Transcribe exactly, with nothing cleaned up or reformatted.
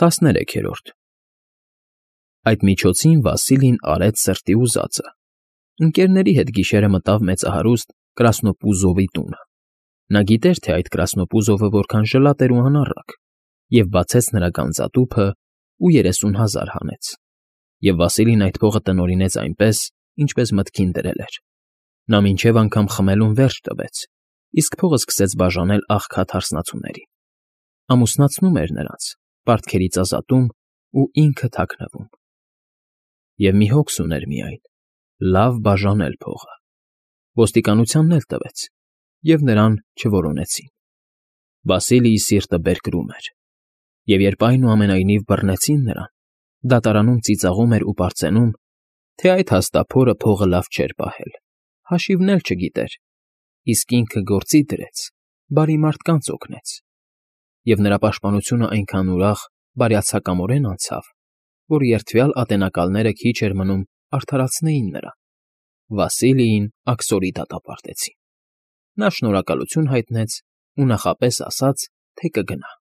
տասներեքերորդ Այդ միջոցին Վասիլին արեց սրտի ուզածը. ընկերների հետ գիշերը մտավ մեծահարուստ Կրասնոպուզովի տունը. նա գիտեր, թե այդ Կրասնոպուզովը որքան ժլատ էր ու անառակ, և բացեց նրա գանձատուփն ու երեսուն հազար հանեց, և Վասիլին այդ փողը տնօրինեց այնպես, ինչպես մտքին դրել էր. նա մինչև անգամ խմելուն վերջ տվեց, իսկ փողը սկսեց բաժանել աղքատ հարսնացուներին, ամուսնացնում էր նրանց, պարտքերից ազատում ու ինքը թաքնվում։ Եվ մի հոգս ուներ միայն՝ լավ բաժանել փողը. ոստիկանությանն էլ տվեց, և նրան չորոնեցին։ Վասիլիի սիրտը բերկրում էր, և երբ այնուամենայնիվ բռնեցին նրան, դատարանում ծիծաղում էր ու պարծենում, թե այդ հաստափորը փողը լավ չէր պահել, հաշիվն էլ չգիտեր, իսկ ինքը գործի դրեց, բարի մարդկանց օգնեց, և նրա պաշտպանությունն այնքան ուրախ, բարյացակամորեն անցավ, որ երդվյալ ատենակալները քիչ էր մնում արդարացնեին նրան. Վասիլիին աքսորի դատապարտեցին։ Նա շնորհակալություն հայտնեց ու նախապես ասաց, թե կգնա։